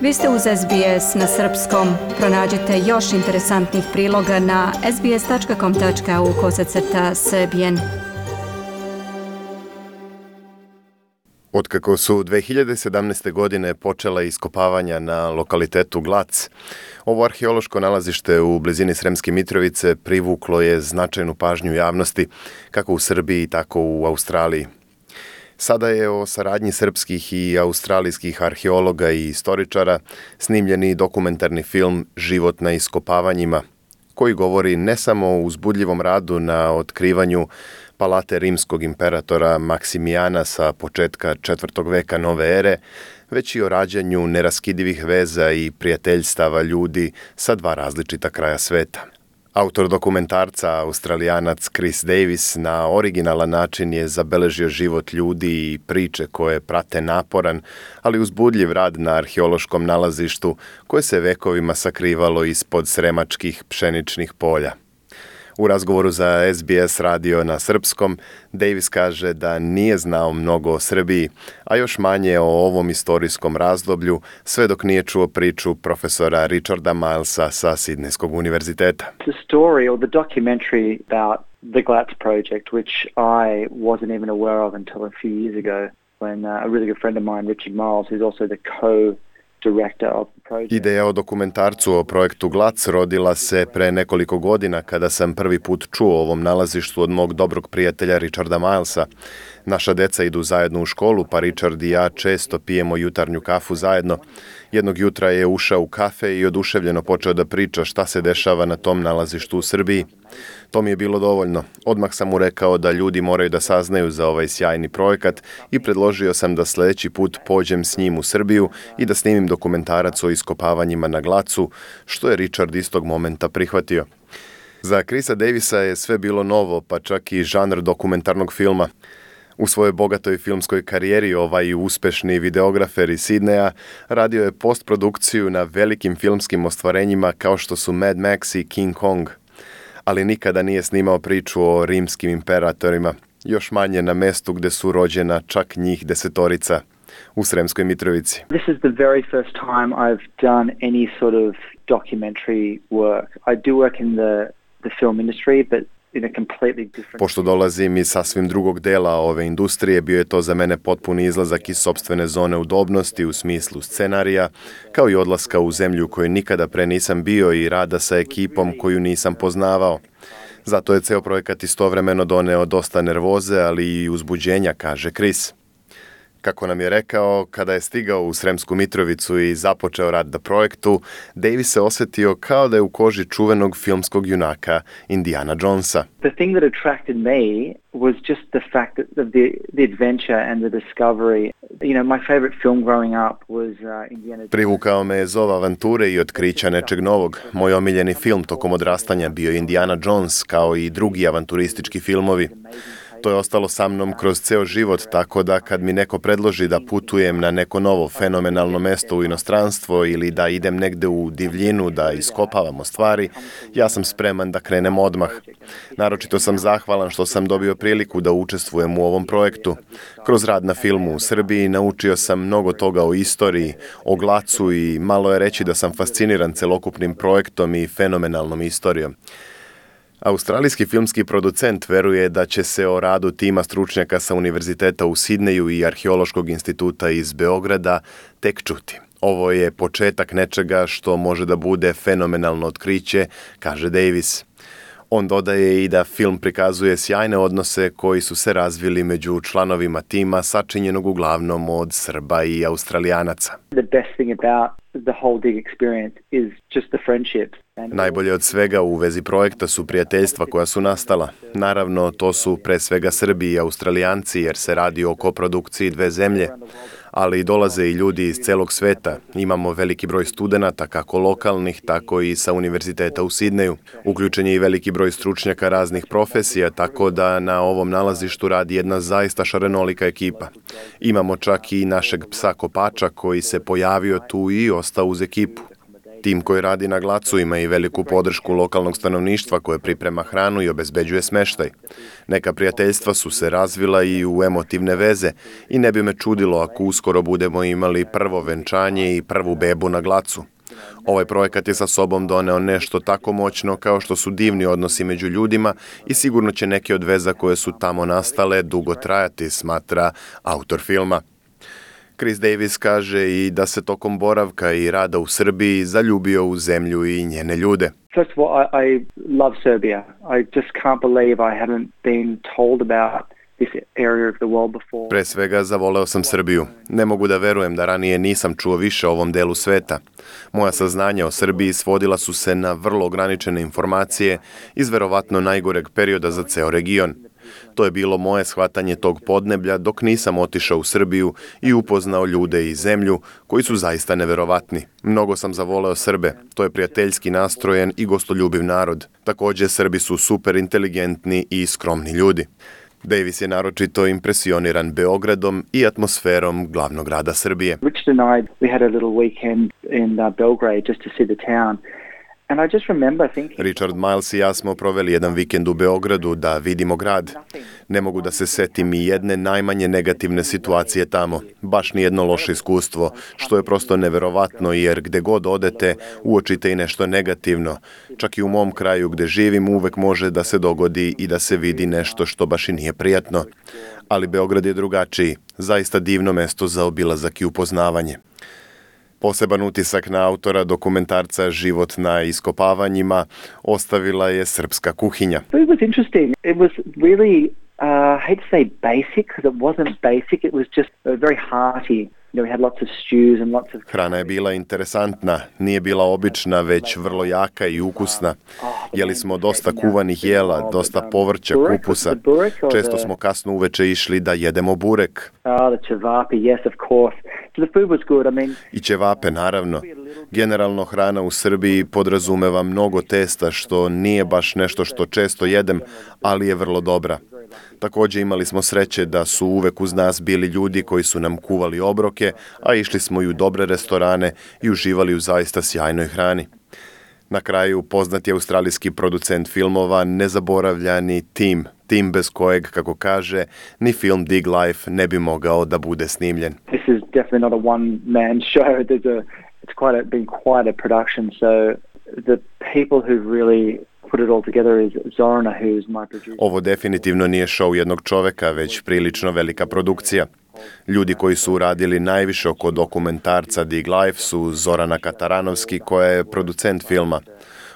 Vi ste uz SBS na srpskom. Pronađite još interesantnih priloga na sbs.com.au/srbijen. Otkako su 2017. godine počela iskopavanja na lokalitetu Glac, ovo arheološko nalazište u blizini Sremske Mitrovice privuklo je značajnu pažnju javnosti, kako u Srbiji, tako u Australiji. Sada je o saradnji srpskih i australijskih arheologa i istoričara snimljeni dokumentarni film Život na iskopavanjima, koji govori ne samo o uzbudljivom radu na otkrivanju palate rimskog imperatora Maksimijana sa početka 4. veka nove ere, već i o rađanju neraskidivih veza i prijateljstava ljudi sa dva različita kraja sveta. Autor dokumentarca, Australijanac Chris Davis, na originalan način je zabeležio život ljudi i priče koje prate naporan, ali uzbudljiv rad na arheološkom nalazištu koje se vekovima sakrivalo ispod sremačkih pšeničnih polja. U razgovoru za SBS radio na srpskom, Davis kaže da nije znao mnogo o Srbiji, a još manje o ovom istorijskom razdoblju, sve dok nije čuo priču profesora Richarda Milesa sa Sidnejskog univerziteta. The story or the documentary about the Glatz project, which I wasn't even aware of until a few years ago, when a really good friend of mine, Richard Miles, who's also the Ideja o dokumentarcu o projektu Glac rodila se pre nekoliko godina kada sam prvi put čuo o ovom nalazištu od mog dobrog prijatelja Richarda Milesa. Naša deca idu zajedno u školu, pa Richard i ja često pijemo jutarnju kafu zajedno. Jednog jutra je ušao u kafe i oduševljeno počeo da priča šta se dešava na tom nalazištu u Srbiji. To mi je bilo dovoljno. Odmah sam mu rekao da ljudi moraju da saznaju za ovaj sjajni projekat i predložio sam da sljedeći put pođem s njim u Srbiju i da snimim dokumentarac o iskopavanjima na Glacu, što je Richard istog momenta prihvatio. Za Chrisa Davisa je sve bilo novo, pa čak i žanr dokumentarnog filma. U svojoj bogatoj filmskoj karijeri ovaj uspešni videografer iz Sidneja radio je postprodukciju na velikim filmskim ostvarenjima kao što su Mad Max i King Kong. Ali nikada nije snimao priču o rimskim imperatorima, još manje na mestu gde su rođena čak njih 10, u Sremskoj Mitrovici. This is the very first time I've done any sort of documentary work. I do work in the film industry, but in a completely different... Pošto dolazim iz sasvim drugog dela ove industrije, bio je to za mene potpuni izlazak iz sopstvene zone udobnosti u smislu scenarija, kao i odlaska u zemlju u kojoj nikada pre nisam bio i rada sa ekipom koju nisam poznavao. Zato je ceo projekat istovremeno doneo dosta nervoze, ali i uzbuđenja, kaže Chris. Kako nam je rekao, kada je stigao u Sremsku Mitrovicu i započeo rad na projektu, Davis se osjetio kao da je u koži čuvenog filmskog junaka Indiana Jonesa. The thing that attracted me was just the fact that the adventure and the discovery. You know, my favorite film growing up was Indiana Jones. Privukao me je zov avanture i otkrića nečeg novog. Moj omiljeni film tokom odrastanja bio je Indiana Jones, kao i drugi avanturistički filmovi. To je ostalo sa mnom kroz ceo život, tako da kad mi neko predloži da putujem na neko novo fenomenalno mesto u inostranstvo ili da idem negde u divljinu da iskopavamo stvari, ja sam spreman da krenem odmah. Naročito sam zahvalan što sam dobio priliku da učestvujem u ovom projektu. Kroz rad na filmu u Srbiji naučio sam mnogo toga o istoriji, o Glacu i malo je reći da sam fasciniran celokupnim projektom i fenomenalnom istorijom. Australijski filmski producent veruje da će se o radu tima stručnjaka sa Univerziteta u Sidneju i Arheološkog instituta iz Beograda tek čuti. Ovo je početak nečega što može da bude fenomenalno otkriće, kaže Davis. On dodaje i da film prikazuje sjajne odnose koji su se razvili među članovima tima sačinjenog uglavnom od Srba i Australijanaca. The best thing about the whole dig experience is just the friendships. Najbolje od svega u vezi projekta su prijateljstva koja su nastala. Naravno, to su pre svega Srbi i Australijanci jer se radi o koprodukciji dve zemlje, ali dolaze i ljudi iz celog sveta. Imamo veliki broj studenata, kako lokalnih, tako i sa univerziteta u Sidneju. Uključen je i veliki broj stručnjaka raznih profesija, tako da na ovom nalazištu radi jedna zaista šarenolika ekipa. Imamo čak i našeg psa kopača koji se pojavio tu i ostao uz ekipu. Tim koji radi na Glacu ima i veliku podršku lokalnog stanovništva koje priprema hranu i obezbeđuje smeštaj. Neka prijateljstva su se razvila i u emotivne veze i ne bi me čudilo ako uskoro budemo imali prvo venčanje i prvu bebu na Glacu. Ovaj projekat je sa sobom doneo nešto tako moćno kao što su divni odnosi među ljudima i sigurno će neke od veza koje su tamo nastale dugo trajati, smatra autor filma. Chris Davis kaže i da se tokom boravka i rada u Srbiji zaljubio u zemlju i njene ljude. First of all, I love Serbia. I just can't believe I haven't been told about this area of the world before. Pre svega zavoleo sam Srbiju. Ne mogu da verujem da ranije nisam čuo više o ovom delu sveta. Moja saznanja o Srbiji svodila su se na vrlo ograničene informacije iz verovatno najgoreg perioda za ceo region. To je bilo moje shvatanje tog podneblja dok nisam otišao u Srbiju i upoznao ljude i zemlju koji su zaista neverovatni. Mnogo sam zavoleo Srbe. To je prijateljski nastrojen i gostoljubiv narod. Također, Srbi su super inteligentni i skromni ljudi. Davis je naročito impresioniran Beogradom i atmosferom glavnog grada Srbije. Richard and I, we had a little weekend in Belgrade just to see the town. And I just remember thinking, Richard Miles i ja smo proveli jedan vikend u Beogradu da vidimo grad. Ne mogu da se setim i jedne najmanje negativne situacije tamo. Baš nijedno loše iskustvo, što je prosto neverovatno jer gde god odete uočite i nešto negativno. Čak i u mom kraju gde živim uvek može da se dogodi i da se vidi nešto što baš i nije prijatno. Ali Beograd je drugačiji, zaista divno mesto za obilazak i upoznavanje. Poseban utisak na autora dokumentarca Život na iskopavanjima ostavila je srpska kuhinja. It was interesting. It was really, I hate to say basic, because it wasn't basic. It was just very hearty. We had lots of stews and lots of... Hrana je bila interesantna, nije bila obična, već vrlo jaka i ukusna. Jeli smo dosta kuvanih jela, dosta povrća, kupusa. Često smo kasno uveče išli da jedemo burek. The cevapi, yes, of course. So the food was good. I mean... I ćevape, naravno. Generalno hrana u Srbiji podrazumeva mnogo testa, što nije baš nešto što često jedem, ali je vrlo dobra. Također imali smo sreće da su uvek uz nas bili ljudi koji su nam kuvali obroke, a išli smo i u dobre restorane i uživali u zaista sjajnoj hrani. Na kraju poznati australijski producent filmova nezaboravljani Tim bez kojeg, kako kaže, ni film Dig Life ne bi mogao da bude snimljen. This is definitely not a one-man show. It's been quite a production, so the people who really put it all together is Zorana, who's my producer. Ovo definitivno nije show jednog čoveka, već prilično velika produkcija. Ljudi koji su uradili najviše oko dokumentarca Dig Life su Zorana Kataranovski, koja je producent filma.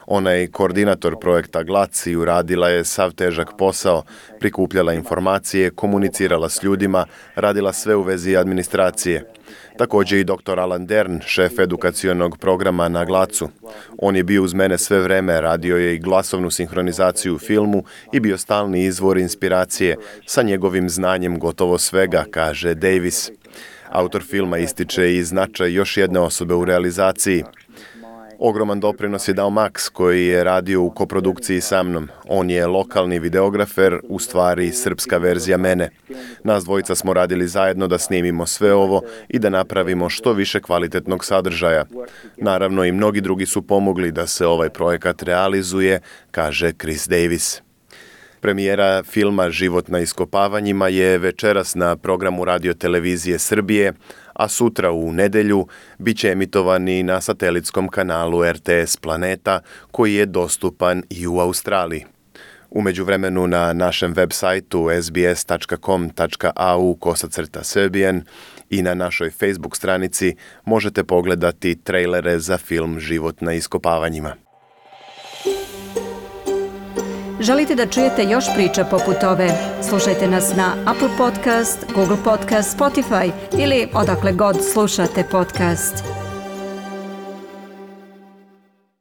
Ona je koordinator projekta Glac i uradila je sav težak posao, prikupljala informacije, komunicirala s ljudima, radila sve u vezi administracije. Također i dr. Alan Dern, šef edukacionog programa na Glacu. On je bio uz mene sve vreme, radio je i glasovnu sinhronizaciju u filmu i bio stalni izvor inspiracije sa njegovim znanjem gotovo svega, kaže Davis. Autor filma ističe i značaj još jedne osobe u realizaciji. Ogroman doprinos je dao Max, koji je radio u koprodukciji sa mnom. On je lokalni videografer, u stvari srpska verzija mene. Nas dvojica smo radili zajedno da snimimo sve ovo i da napravimo što više kvalitetnog sadržaja. Naravno i mnogi drugi su pomogli da se ovaj projekat realizuje, kaže Chris Davis. Premijera filma Život na iskopavanjima je večeras na programu Radio televizije Srbije, a sutra u nedelju bit će emitovani na satelitskom kanalu RTS Planeta, koji je dostupan i u Australiji. U međuvremenu na našem web sajtu sbs.com.au/Serbian i na našoj Facebook stranici možete pogledati trejlere za film Život na iskopavanjima. Želite da čujete još priča poput ove? Slušajte nas na Apple Podcast, Google Podcast, Spotify ili odakle god slušate podcast.